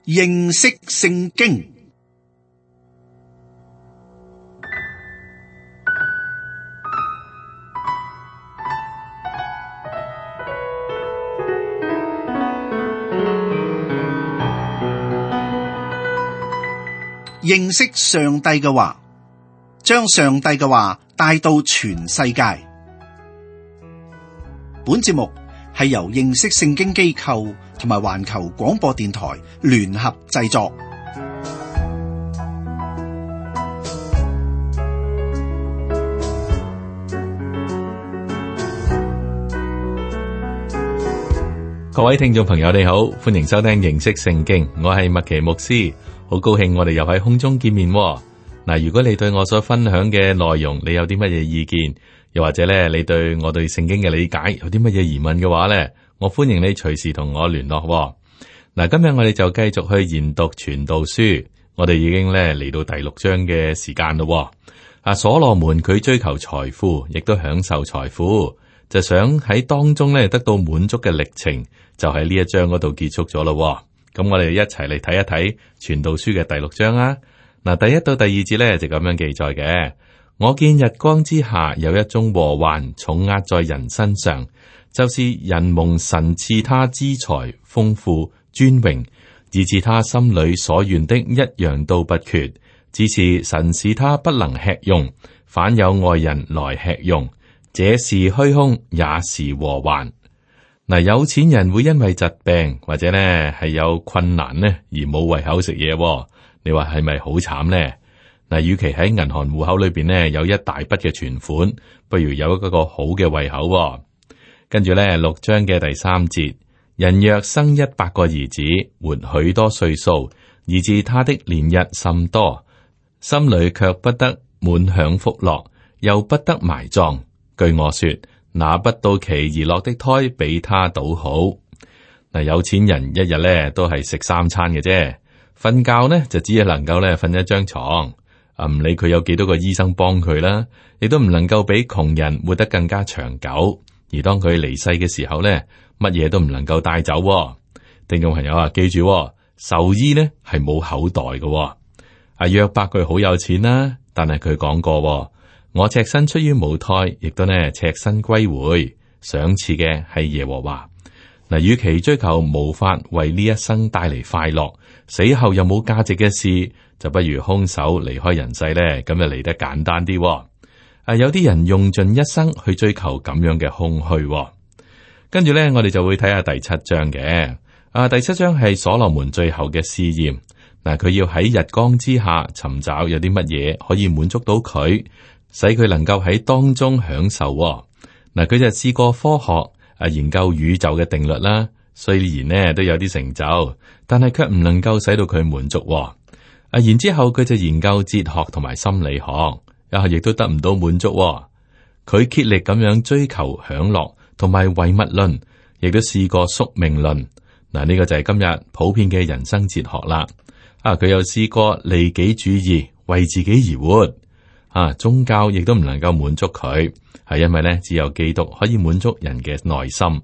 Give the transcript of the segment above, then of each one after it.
認識聖經。認識上帝嘅話，將上帝嘅話帶到全世界。本節目係由認識聖經機構同埋環球廣播電台聯合製作。各位聽眾朋友你好，歡迎收聽認識聖經，我係麥奇牧師，好高興我哋又喺空中見面。嗱，如果你對我所分享嘅內容，你有啲乜嘢意見，又或者咧，你對我對聖經嘅理解有啲乜嘢疑問嘅話咧，我歡迎你隨時同我聯絡。嗱，今日我哋就繼續去研讀傳道書，我哋已經咧嚟到第6章嘅時間咯。所羅門佢追求財富，亦都享受財富，就想喺當中咧得到滿足嘅歷程，就喺呢一章嗰度結束咗咯。咁我哋一齊嚟睇一睇傳道書嘅第6章啊。嗱，第1到第2節咧就咁樣記載嘅。我見日光之下有一宗禍患重壓在人身上，就是人蒙神賜他資財豐富尊榮，以致他心裏所願的一樣都不缺，只是神使他不能吃用，反有外人來吃用，這是虛空，也是禍患。嗱，有錢人會因為疾病或者咧係有困難呢而冇胃口食嘢，你話係咪好慘呢？嗱，與其喺銀行戶口裏邊呢有一大筆嘅存款，不如有一個好嘅胃口。跟住咧6章嘅第3節，人若生100個兒子，活許多歲數，以致他的年日甚多，心裏卻不得滿享福樂，又不得埋葬。據我說，那不到期而落的胎比他倒好。嗱，有錢人一日咧都係食3餐嘅啫，瞓覺呢就只係能夠咧瞓一張床，唔理佢有幾多個醫生幫佢啦，亦都唔能夠比窮人活得更加長久。而當佢離世嘅時候咧，乜嘢都唔能夠帶走。聽眾朋友啊，記住，獸醫呢係冇口袋嘅。約伯佢好有錢啦，但係佢講過，我赤身出於母胎，亦都呢赤身歸回，賞賜嘅係耶和華。嗱，與其追求無法為呢一生帶嚟快樂，死後又冇價值嘅事，就不如空手離開人世咧，咁就嚟得簡單啲。有啲人用盡一生去追求咁樣嘅空虛。跟住咧，我哋就會睇下第7章嘅。第7章係所羅門最後嘅試驗。嗱，佢要喺日光之下尋找有啲乜嘢可以滿足到佢，使佢能夠喺當中享受。嗱，佢就試過科學研究宇宙嘅定律啦，雖然呢都有啲成就，但係卻唔能夠使到佢滿足。然之後佢就研究哲學同埋心理學，亦都得唔到滿足。佢竭力咁樣追求享樂同埋唯物論，亦都試過宿命論。嗱，呢個就係今日普遍嘅人生哲學啦。佢又試過利己主義，為自己而活。宗教亦都唔能夠滿足佢，係因為咧只有基督可以滿足人嘅內心。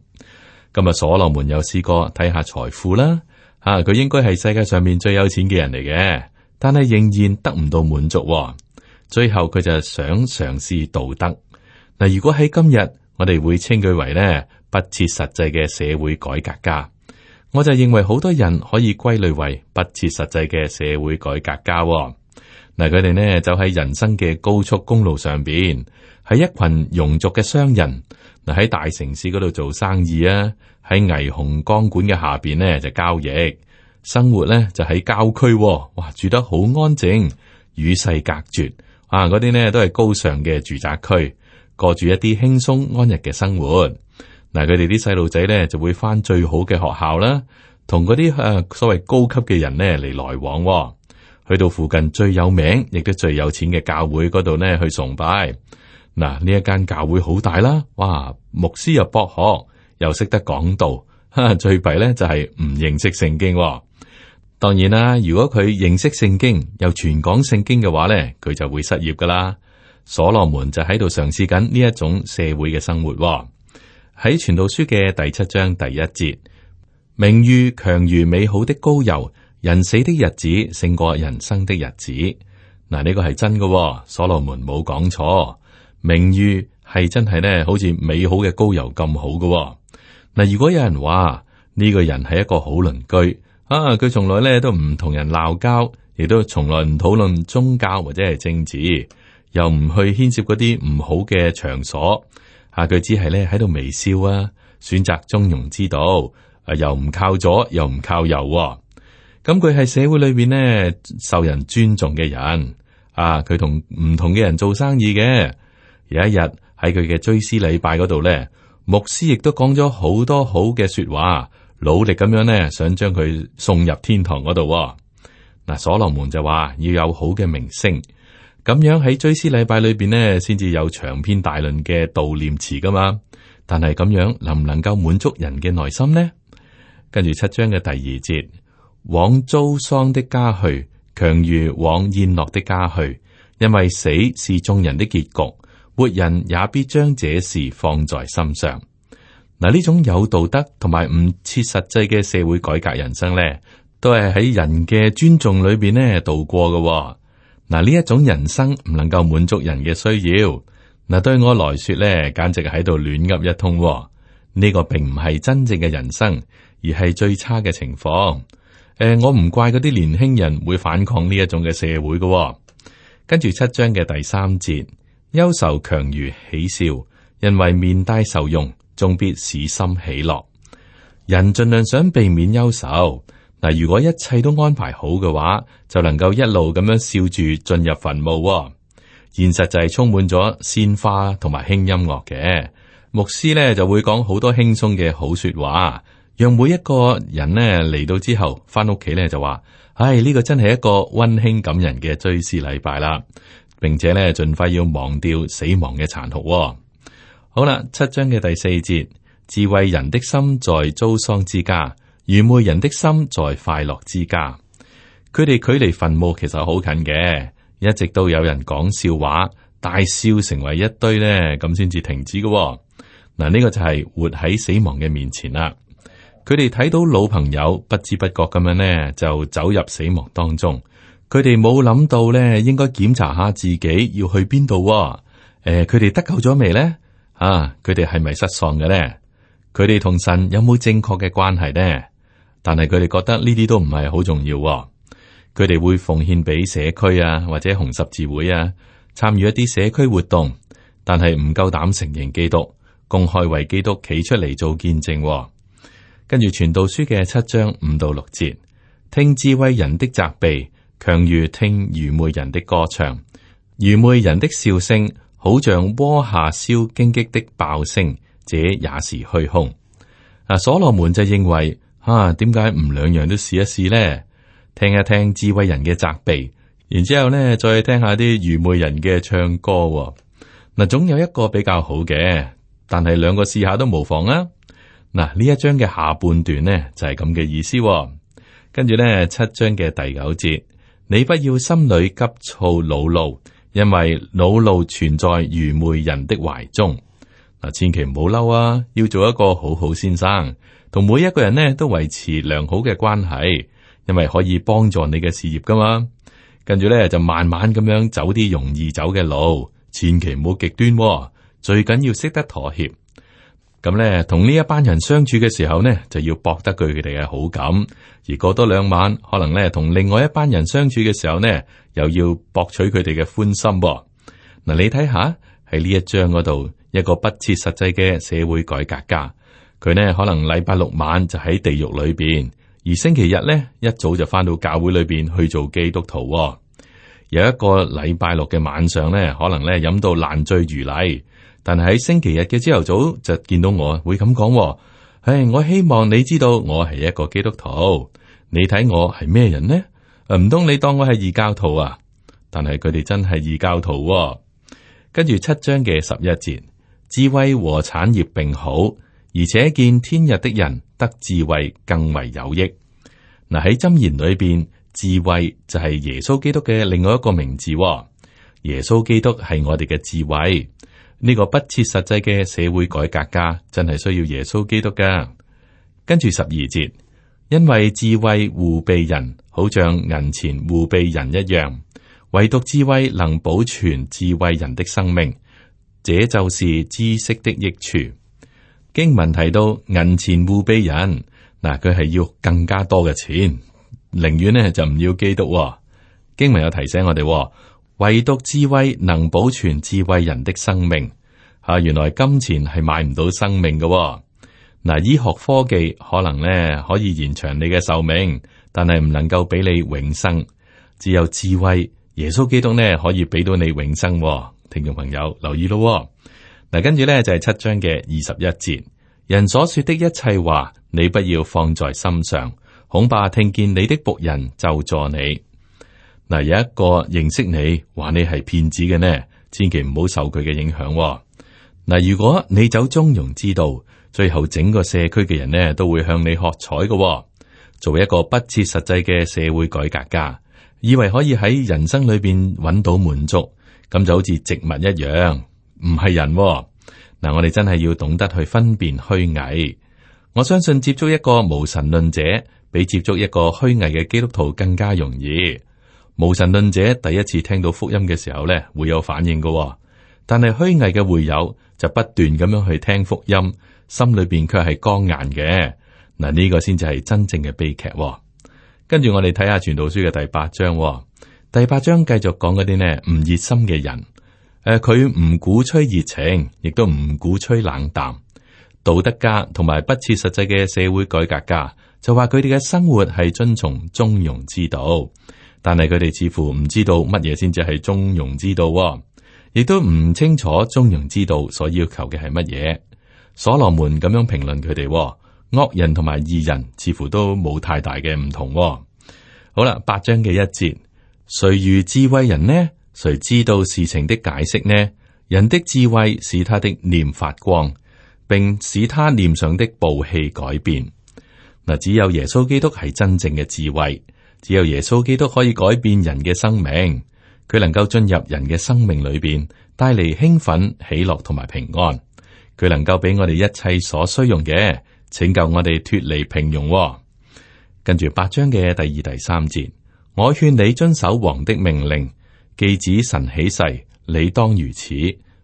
今日所羅門又試過睇下財富啦。佢應該係世界上面最有錢嘅人嚟嘅，但係仍然得唔到滿足。最後佢就想嘗試道德。嗱，如果喺今日，我哋會稱佢為咧不切實際嘅社會改革家。我就認為好多人可以歸類為不切實際嘅社會改革家。嗱，佢哋呢就喺人生嘅高速公路上邊，係一群庸俗嘅商人。嗱，喺大城市嗰度做生意啊，喺霓虹光管嘅下邊呢就交易，生活呢就喺郊區。哇，住得好安靜，與世隔絕。嗰啲呢都係高尚嘅住宅區，過住一啲輕鬆安逸嘅生活。嗱，佢哋啲細路仔呢就會返最好嘅學校啦，同嗰啲所謂高級嘅人呢嚟來往。去到附近最有名亦都最有錢嘅教會嗰度呢去崇拜。嗱，呢一間教會好大啦，哇！牧師又博學，又識得講道。最弊呢就係唔認識聖經。當然啦，如果佢認識聖經又傳講聖經嘅話呢，佢就會失業噶啦。所羅門就喺度嘗試緊呢一種社會嘅生活。喺傳道書嘅第7章第1節，名譽強如美好的膏油，人死的日子勝過人生的日子。嗱，呢個係真嘅，所羅門冇講錯。名譽係真係咧，好似美好嘅膏油咁好嘅。嗱，如果有人話呢個人係一個好鄰居啊，佢從來咧都唔同人鬧交，亦都從來唔討論宗教或者係政治，又唔去牽涉嗰啲唔好嘅場所，佢只係咧喺度微笑啊，選擇中庸之道，又唔靠左又唔靠右，咁佢係社會裏邊呢受人尊重嘅人啊，佢同唔同嘅人做生意嘅。有一日喺佢嘅追思禮拜嗰度咧，牧師亦都講咗好多好嘅說話，努力咁樣咧想將佢送入天堂嗰度。嗱，所羅門就話要有好嘅名聲，咁樣喺追思禮拜裏邊呢，先至有長篇大論嘅悼念詞噶嘛。但係咁樣能唔能夠滿足人嘅內心呢？跟住7章嘅第2節，往遭喪的家去，強如往宴樂的家去，因為死是眾人的結局，活人也必將這事放在心上。嗱，呢種有道德同埋唔切實際嘅社會改革人生咧，都係喺人嘅尊重裏邊咧度過嘅。嗱，呢一種人生唔能夠滿足人嘅需要。嗱，對我來說咧，簡直係喺度亂噏一通。呢個並唔係真正嘅人生，而係最差嘅情況。我唔怪嗰啲年輕人會反抗呢一種嘅社會嘅。跟住7章嘅第3節，憂愁強如喜笑，因為面帶愁容，終必使心喜樂。人盡量想避免憂愁。嗱，如果一切都安排好嘅話，就能夠一路咁樣笑住進入墳墓。現實就係充滿咗鮮花同埋輕音樂嘅。牧師咧就會講好多輕鬆嘅好說話，讓每一個人呢嚟到之後翻屋企咧就話：唉，呢個真係一個溫馨感人嘅追思禮拜啦，並且咧盡快要忘掉死亡嘅殘酷。好啦，7章嘅第4節，智慧人的心在遭喪之家，愚昧人的心在快樂之家。佢哋距離墳墓其實好近嘅，一直都有人講笑話，大笑成為一堆咧，咁先至停止嘅。嗱，呢個就係活喺死亡嘅面前啦。佢哋睇到老朋友不知不覺咁樣呢，就走入死亡當中。佢哋冇諗到咧，應該檢查下自己要去邊度。佢哋得救咗未呢？佢哋係咪失喪嘅呢？佢哋同神有冇正確嘅關係呢？但係佢哋覺得呢啲都唔係好重要。佢哋會奉獻俾社區啊，或者紅十字會啊，參與一啲社區活動，但係唔夠膽承認基督，公開為基督企出嚟做見證。跟住傳道書嘅7章5到6節，聽智慧人的責備，強如聽愚昧人的歌唱。愚昧人的笑聲，好像鍋下燒荊棘的爆聲，這也是虛空。所羅門就認為，點解唔兩樣都試一試呢？聽一聽智慧人嘅責備，然之後呢再聽下啲愚昧人嘅唱歌。嗱，總有一個比較好嘅，但係兩個試下都無妨啊。嗱，呢一章嘅下半段呢就係咁嘅意思。跟住呢7章嘅第9節，你不要心裏急躁惱怒，因為惱怒存在愚昧人的懷中。嗱，千祈唔好嬲啊，要做一個好好先生，同每一個人呢都維持良好嘅關係，因為可以幫助你嘅事業噶嘛。跟住呢就慢慢咁樣走啲容易走嘅路，千祈唔好極端，最緊要識得妥協。咁咧，同呢一班人相處嘅時候呢，就要博得佢哋嘅好感；而過多2晚，可能咧同另外一班人相處嘅時候呢，又要博取佢哋嘅歡心。嗱，你睇下喺呢一章嗰度，一個不切實際嘅社會改革家，佢呢可能禮拜6晚就喺地獄裏邊，而星期日呢一早就翻到教會裏邊去做基督徒。有一個禮拜6嘅晚上呢，可能咧飲到爛醉如泥。但係喺星期日嘅朝頭早就見到我會咁講，我希望你知道我係一個基督徒，你睇我係咩人呢？唔通你當我係異教徒啊？但係佢哋真係異教徒。跟住7章嘅11節，智慧和產業並好，而且見天日的人得智慧更為有益。嗱，喺箴言裏邊，智慧就係耶穌基督嘅另外一個名字。耶穌基督係我哋嘅智慧。呢個不切實際嘅社會改革家真係需要耶穌基督噶。跟住12節，因為智慧護庇人，好像銀錢護庇人一樣，唯獨智慧能保存智慧人的生命，這就是知識的益處。經文提到銀錢護庇人，嗱，佢係要更加多嘅錢，寧願呢就唔要基督。經文有提醒我哋，唯獨智慧能保存智慧人的生命。原來金錢係買唔到生命嘅。嗱，醫學科技可能呢可以延長你嘅壽命，但係唔能夠俾你永生。只有智慧，耶穌基督呢可以俾到你永生。聽眾朋友留意咯。嗱，跟住呢就係7章嘅21節，人所說的一切話，你不要放在心上，恐怕聽見你的僕人咒詛你。嗱，有一個認識你話你係騙子嘅呢，千祈唔好受佢嘅影響。嗱，如果你走中庸之道，最後整個社區嘅人呢都會向你喝彩嘅。做一個不切實際嘅社會改革家，以為可以喺人生裏邊揾到滿足，咁就好似植物一樣，唔係人。嗱，我哋真係要懂得去分辨虛偽。我相信接觸一個無神論者，比接觸一個虛偽嘅基督徒更加容易。無神論者第一次聽到福音嘅時候呢，會有反應嘅，但係虛偽嘅會友就不斷咁樣去聽福音，心裏邊卻係剛硬嘅。嗱，呢個先至係真正嘅悲劇。跟住我哋睇下傳道書嘅第8章。第8章繼續講嗰啲呢唔熱心嘅人。佢唔鼓吹熱情，亦都唔鼓吹冷淡。道德家同埋不切實際嘅社會改革家就話佢哋嘅生活係遵從中庸之道，但係佢哋似乎唔知道乜嘢先至係中庸之道，亦都唔清楚中庸之道所要求嘅係乜嘢。所羅門咁樣評論佢哋，惡人同埋義人似乎都冇太大嘅唔同。好啦，8章嘅1節，誰如智慧人呢？誰知道事情的解釋呢？人的智慧使他的臉發光，並使他臉上的暴氣改變。嗱，只有耶穌基督係真正嘅智慧，只有耶穌基督可以改變人嘅生命，佢能夠進入人嘅生命裏邊，帶嚟興奮、喜樂同埋平安。佢能夠俾我哋一切所需用嘅，拯救我哋脫離平庸。跟住8章嘅第2、第3節，我勸你遵守王的命令。既指神起誓，你當如此，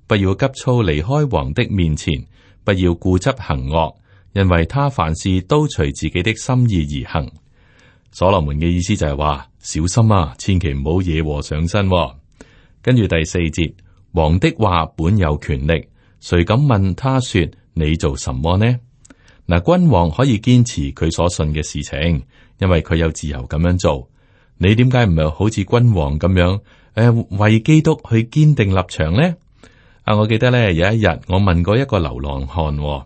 不要急躁離開王的面前，不要固執行惡，因為他凡事都隨自己的心意而行。所羅門嘅意思就係話，小心啊，千祈唔好惹禍上身。跟住第4節，王的話本有權力，誰敢問他說你做什麼呢？嗱，君王可以堅持佢所信嘅事情，因為佢有自由咁樣做。你點解唔係好似君王咁樣？為基督去堅定立場呢？我記得咧有一日，我問過一個流浪漢，我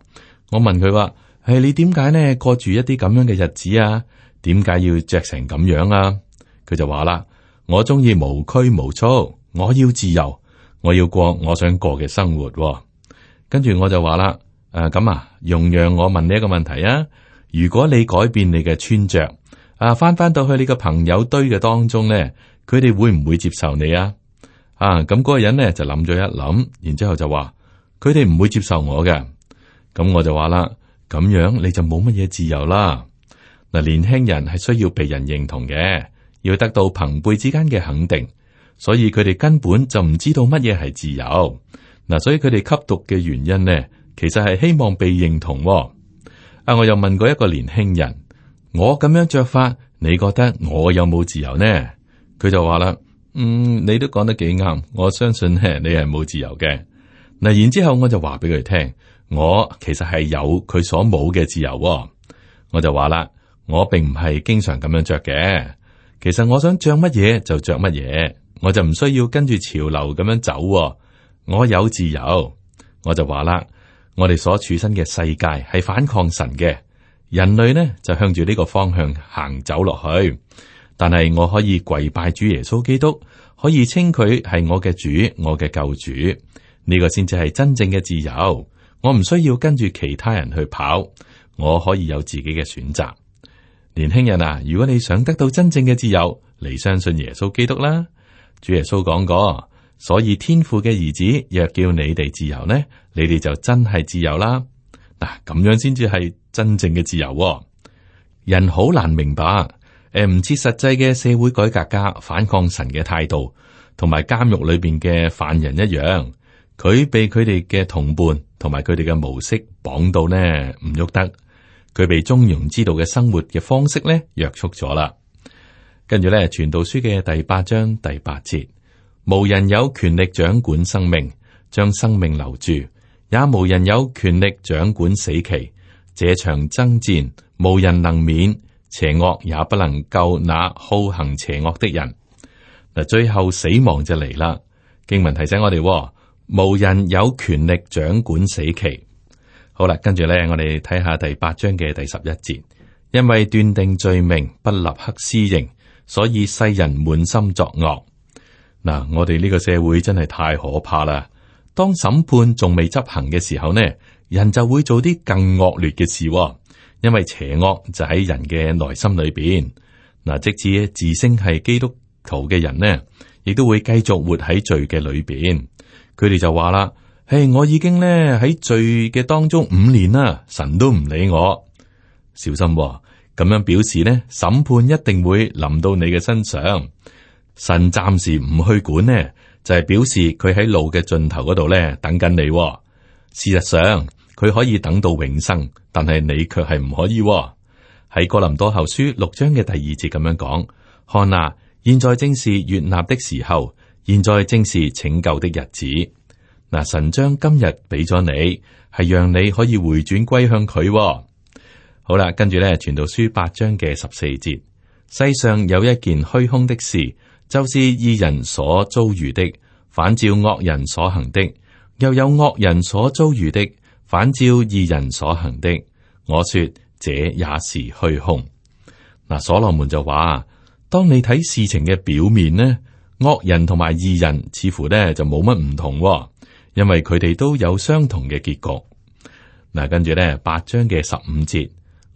問佢話：你點解呢過住一啲咁樣嘅日子啊？點解要着成咁樣啊？佢就話啦：我中意無拘無束，我要自由，我要過我想過嘅生活。跟住我就話啦：咁容讓我問你一個問題啊！如果你改變你嘅穿着，翻到去你個朋友堆嘅當中咧，佢哋會唔會接受你啊？咁嗰個人咧就諗咗一諗，然之後就話佢哋唔會接受我嘅。咁我就話啦，咁樣你就冇乜嘢自由啦。嗱，年輕人係需要被人認同嘅，要得到朋輩之間嘅肯定，所以佢哋根本就唔知道乜嘢係自由。嗱，所以佢哋吸毒嘅原因呢，其實係希望被認同。我又問過一個年輕人，我咁樣着法，你覺得我有冇自由呢？佢就話啦，你都講得幾啱，我相信咧你係冇自由嘅。嗱，然之後我就話俾佢聽，我其實係有佢所冇嘅自由。我就話啦，我並唔係經常咁樣着嘅，其實我想着乜嘢就着乜嘢，我就唔需要跟住潮流咁樣走。我有自由。我就話啦，我哋所處身嘅世界係反抗神嘅，人類呢就向住呢個方向行走落去。但係我可以跪拜主耶穌基督，可以稱佢係我嘅主，我嘅救主。呢個先至係真正嘅自由。我唔需要跟住其他人去跑，我可以有自己嘅選擇。年輕人啊，如果你想得到真正嘅自由，你相信耶穌基督啦。主耶穌講過，所以天父嘅兒子若叫你哋自由呢，你哋就真係自由啦。嗱，咁樣先至係真正嘅自由。人好難明白，唔似實際嘅社會改革家反抗神嘅態度，同埋監獄裏邊嘅犯人一樣，佢被佢哋嘅同伴同埋佢哋嘅模式綁到呢唔喐得，佢被中庸之道嘅生活嘅方式呢約束咗啦。跟住咧，傳道書嘅第8章第8節，無人有權力掌管生命，將生命留住，也無人有權力掌管死期。這場爭戰，無人能免，邪惡也不能救那好行邪惡的人。嗱，最後死亡就嚟啦。經文提醒我哋，無人有權力掌管死期。好啦，跟住咧，我哋睇下第8章嘅第11節，因為斷定罪名不立刻施刑，所以世人滿心作惡。嗱，我哋呢個社會真係太可怕啦。當審判仲未執行嘅時候呢，人就會做啲更惡劣嘅事，因為邪惡就喺人嘅內心裏邊。嗱，即使自稱係基督徒嘅人呢，亦都會繼續活喺罪嘅裏邊。佢哋就話啦：我已經咧喺罪嘅當中5年啦，神都唔理我。小心喎，咁樣表示呢，審判一定會臨到你嘅身上。神暫時唔去管呢，就係表示佢喺路嘅盡頭嗰度咧等緊你喎。事實上，佢可以等到永生，但係你卻係唔可以喎。喺哥林多後書6章嘅第2節咁樣講：看啊，現在正是悅納的時候，現在正是拯救的日子。嗱，神將今日俾咗你，係讓你可以回轉歸向佢喎。好啦，跟住咧，傳道書8章嘅14節，世上有一件虛空的事，就是義人所遭遇的，反照惡人所行的；又有惡人所遭遇的，反照義人所行的。我說這也是虛空。嗱，所羅門就話：當你睇事情嘅表面呢，惡人同埋義人似乎呢就冇乜唔同喎，因為佢哋都有相同嘅結局。嗱，跟住咧8章嘅15節。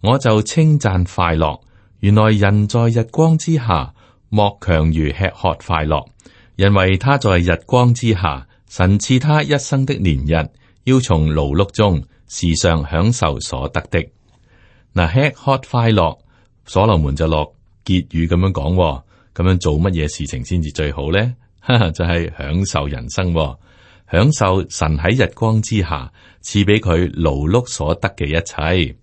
我就稱讚快樂，原來人在日光之下，莫強如吃喝快樂，因為他在日光之下，神賜他一生的年日，要從勞碌中時常享受所得的。嗱，吃喝快樂，所羅門就落結語咁樣講，咁樣做乜嘢事情先至最好咧？就係享受人生，享受神喺日光之下賜俾佢勞碌所得嘅一切。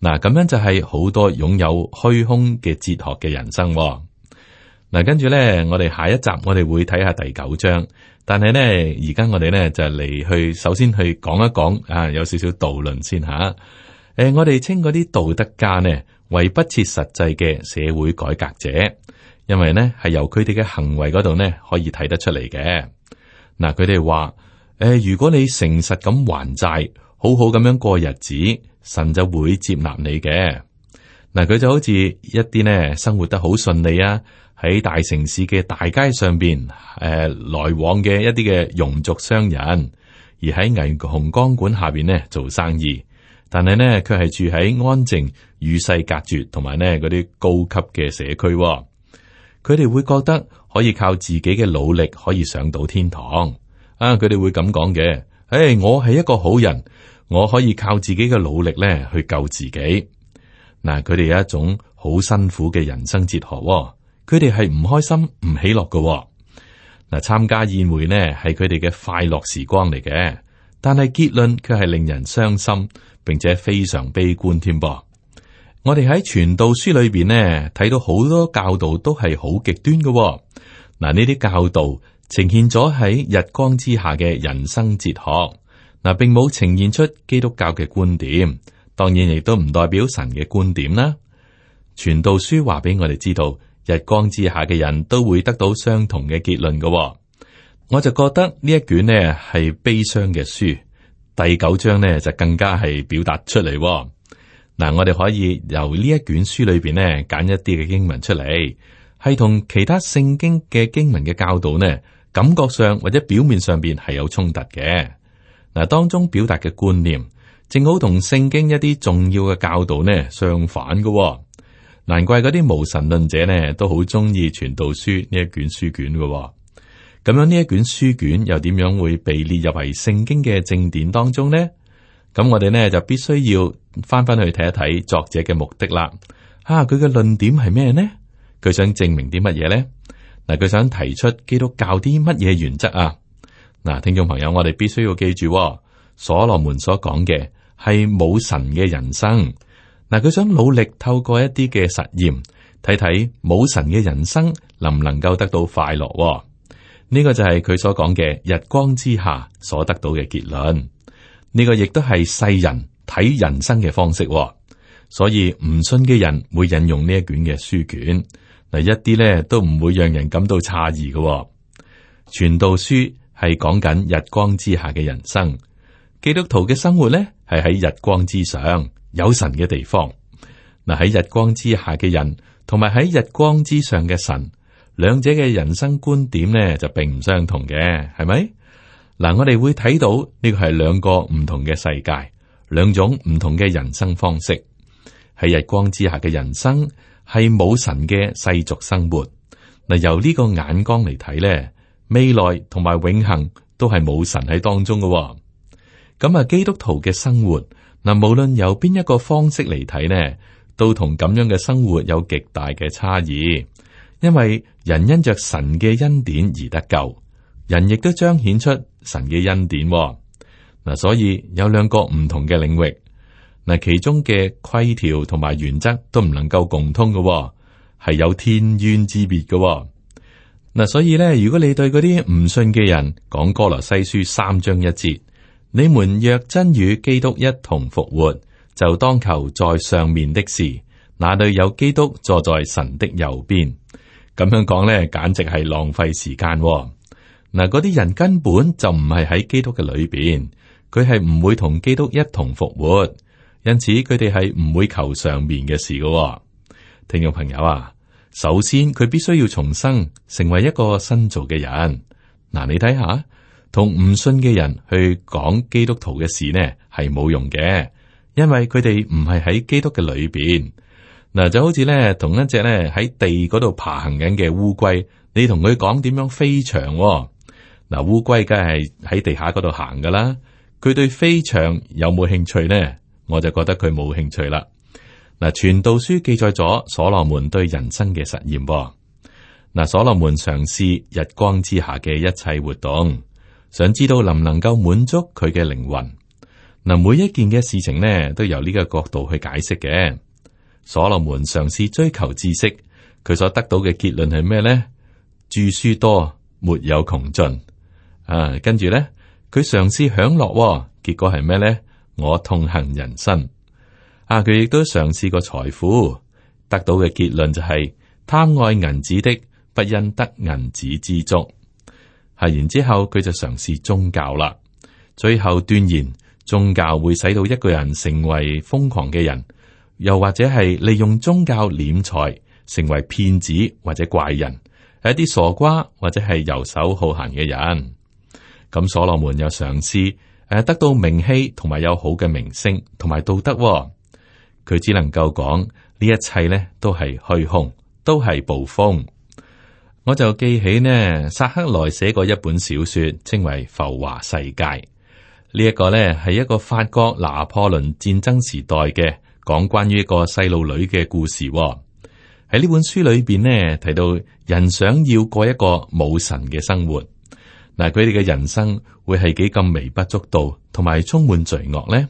嗱，咁樣就係好多擁有虛空嘅哲學嘅人生。嗱，跟住咧，我哋下一集我哋會睇下第9章，但係咧，而家我哋咧就嚟去首先去講一講啊，有少少導論先吓。我哋稱嗰啲道德家呢為不切實際嘅社會改革者，因為呢係由佢哋嘅行為嗰度呢可以睇得出嚟嘅。嗱，佢哋話如果你誠實咁還債，好好咁樣過日子，神就會接納你嘅。嗱，佢就好似一啲呢生活得好順利啊，喺大城市嘅大街上邊來往嘅一啲嘅庸俗商人，而喺霓虹光管下邊呢做生意，但係呢佢係住喺安靜與世隔絕同埋呢嗰啲高級嘅社區。佢哋會覺得可以靠自己嘅努力可以上到天堂啊！佢哋會咁講嘅，我係一個好人。我可以靠自己嘅努力咧去救自己。嗱，佢哋有一種好辛苦嘅人生哲學，佢哋係唔開心、唔喜樂嘅。嗱，參加宴會呢係佢哋嘅快樂時光嚟嘅，但係結論卻係令人傷心，並且非常悲觀添噃。我哋喺傳道書裏邊呢睇到好多教導都係好極端嘅。嗱，呢啲教導呈現咗喺日光之下嘅人生哲學。嗱，並冇呈現出基督教嘅觀點，當然亦都唔代表神嘅觀點啦。傳道書話俾我哋知道，日光之下嘅人都會得到相同嘅結論嘅。我就覺得呢一卷呢係悲傷嘅書，第9章呢就更加係表達出嚟。嗱，我哋可以由呢一卷書裏邊呢揀一啲嘅經文出嚟，係同其他聖經嘅經文嘅教導呢，感覺上或者表面上邊係有衝突嘅。嗱，當中表達嘅觀念，正好同聖經一啲重要嘅教導呢相反嘅。難怪嗰啲無神論者呢都好中意傳道書呢一卷書卷嘅。咁樣呢一卷書卷又點樣會被列入為聖經嘅正典當中呢？咁我哋呢就必須要翻去睇一睇作者嘅目的啦。佢嘅論點係咩呢？佢想證明啲乜嘢呢？嗱，佢想提出基督教啲乜嘢原則啊？嗱，聽眾朋友，我哋必須要記住，所羅門所講嘅係冇神嘅人生。嗱，佢想努力透過一啲嘅實驗，睇睇冇神嘅人生能唔能夠得到快樂。呢個就係佢所講嘅日光之下所得到嘅結論。呢個亦都係世人睇人生嘅方式。所以唔信嘅人會引用呢一卷嘅書卷，嗱，一啲咧都唔會讓人感到詫異嘅。傳道書係講緊日光之下嘅人生，基督徒嘅生活咧係喺日光之上，有神嘅地方。嗱，喺日光之下嘅人同埋喺日光之上嘅神，兩者嘅人生觀點咧就並唔相同嘅，係咪？嗱，我哋會睇到呢個係兩個唔同嘅世界，兩種唔同嘅人生方式。喺日光之下嘅人生係冇神嘅世俗生活。嗱，由呢個眼光嚟睇咧，未來同埋永恆都係冇神喺當中嘅。咁啊，基督徒嘅生活嗱，無論由邊一個方式嚟睇呢，都同咁樣嘅生活有極大嘅差異。因為人因着神嘅恩典而得救，人亦都彰顯出神嘅恩典。嗱，所以有兩個唔同嘅領域。嗱，其中嘅規條同埋原則都唔能夠共通嘅，係有天淵之別嘅。嗱，所以咧，如果你對嗰啲唔信嘅人講歌羅西書3章1節，你們若真與基督一同復活，就當求在上面的事，那裏有基督坐在神的右邊。咁樣講咧，簡直係浪費時間。嗱，嗰啲人根本就唔係喺基督嘅裏邊，佢係唔會同基督一同復活。因此佢哋係唔會求上面嘅事嘅。聽眾朋友啊，首先佢必須要重生，成為一個新造嘅人。嗱，你睇下，同唔信嘅人去講基督徒嘅事呢，係冇用嘅，因為佢哋唔係喺基督嘅裏邊。嗱，就好似咧同一隻咧喺地嗰度爬行緊嘅烏龜，你同佢講點樣飛翔。嗱，烏龜梗係喺地下嗰度行噶啦，佢對飛翔有冇興趣呢？我就覺得佢冇興趣啦。嗱，傳道書記載咗所羅門對人生嘅實驗。嗱，所羅門嘗試日光之下嘅一切活動，想知道能唔能夠滿足佢嘅靈魂。嗱，每一件嘅事情呢，都由呢個角度去解釋嘅。所羅門嘗試追求知識，佢所得到嘅結論係咩呢？著書多，沒有窮盡。跟住呢，佢嘗試享樂，結果係咩呢？我痛恨人生。佢亦都嘗試過財富，得到嘅結論就係貪愛銀子的，不因得銀子知足。然之後佢就嘗試宗教啦，最後斷言宗教會使到一個人成為瘋狂嘅人，又或者係利用宗教斂財，成為騙子或者怪人，係一啲傻瓜或者係遊手好閒嘅人。咁所羅門又嘗試得到名氣同埋有好嘅名聲同埋道德。佢只能夠講呢一切呢都係虛空，都係捕風。我就記起呢，薩克萊寫過一本小說，稱為《浮華世界》。呢一個呢係一個法國拿破崙戰爭時代嘅講關於一個細路女嘅故事。喺呢本書裏邊呢，提到人想要過一個冇神嘅生活。嗱，佢哋嘅人生會係幾咁微不足道，同埋充滿罪惡呢？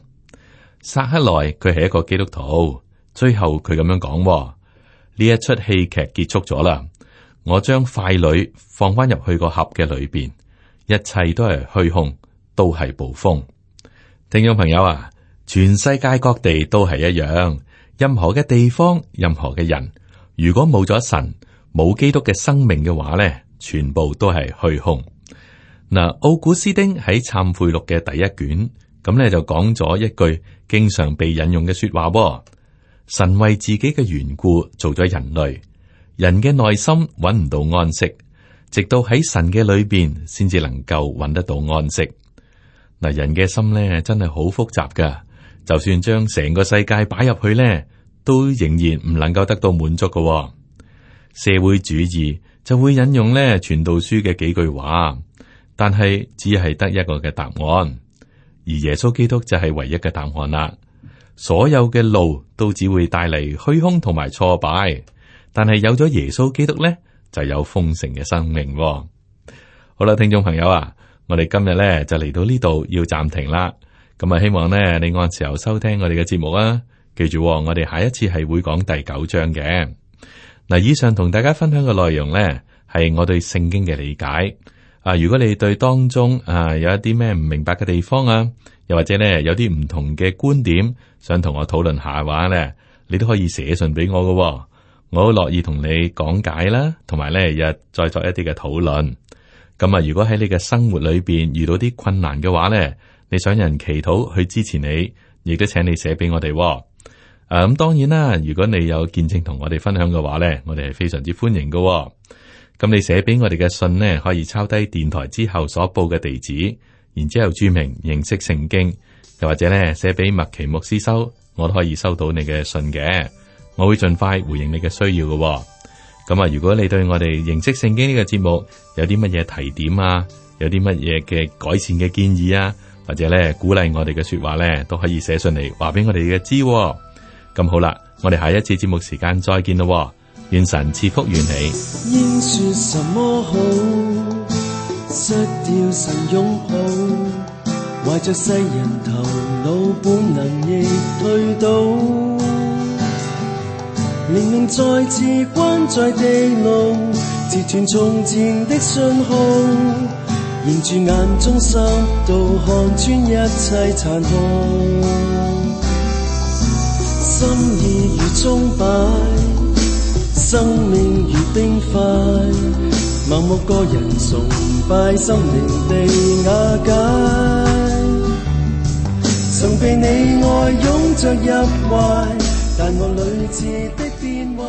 薩克萊佢係一個基督徒，最後佢咁樣講：呢一出戲劇結束咗啦，我將傀儡放翻入去個盒嘅裏邊，一切都係虛空，都係捕風。聽眾朋友啊，全世界各地都係一樣，任何嘅地方，任何嘅人，如果冇咗神，冇基督嘅生命嘅話咧，全部都係虛空。嗱，奧古斯丁喺懺悔錄嘅第一卷，咁咧就講咗一句經常被引用嘅說話：神為自己嘅緣故做咗人類，人嘅內心揾唔到安息，直到喺神嘅裏邊先至能夠揾得到安息。嗱，人嘅心咧真係好複雜噶，就算將成個世界擺入去咧，都仍然唔能夠得到滿足噶。社會主義就會引用咧傳道書嘅幾句話。但係只係得一個嘅答案，而耶穌基督就係唯一嘅答案啦。所有嘅路都只會帶嚟虛空同埋挫敗。但係有咗耶穌基督咧，就有豐盛嘅生命。好啦，聽眾朋友啊，我哋今日咧就嚟到呢度要暫停啦。咁啊，希望咧你按時候收聽我哋嘅節目啊。記住，我哋下一次係會講第9章嘅。嗱，以上同大家分享嘅內容咧，係我對聖經嘅理解。如果你對當中有一啲咩唔明白嘅地方啊，又或者咧有啲唔同嘅觀點，想同我討論下嘅話咧，你都可以寫信俾我嘅。我好樂意同你講解啦，同埋咧日再作一啲嘅討論。咁啊，如果喺你嘅生活裏邊遇到啲困難嘅話咧，你想人祈禱去支持你，亦都請你寫俾我哋。咁當然啦，如果你有見證同我哋分享嘅話咧，我哋係非常之歡迎嘅。咁你寫俾我哋嘅信呢，可以抄低電台之後所報嘅地址，然之後注明認識聖經，又或者咧寫俾麥奇牧師收，我都可以收到你嘅信嘅。我會盡快回應你嘅需要嘅。咁啊，如果你對我哋認識聖經呢個節目有啲乜嘢提點啊，有啲乜嘢嘅改善嘅建議啊，或者咧鼓勵我哋嘅說話咧，都可以寫信嚟話俾我哋嘅知。咁好啦，我哋下一次節目時間再見咯。願神賜福與你。應說什麼好？失掉神擁抱，懷着世人頭腦本能亦退倒，靈命再次關在地牢，截斷從前的信號，凝住眼中濕度，看穿一切殘酷，心意如鐘擺，生命如冰塊，盲目個人崇拜，心靈被瓦解。曾被你愛擁着入懷，但我屢次的變壞。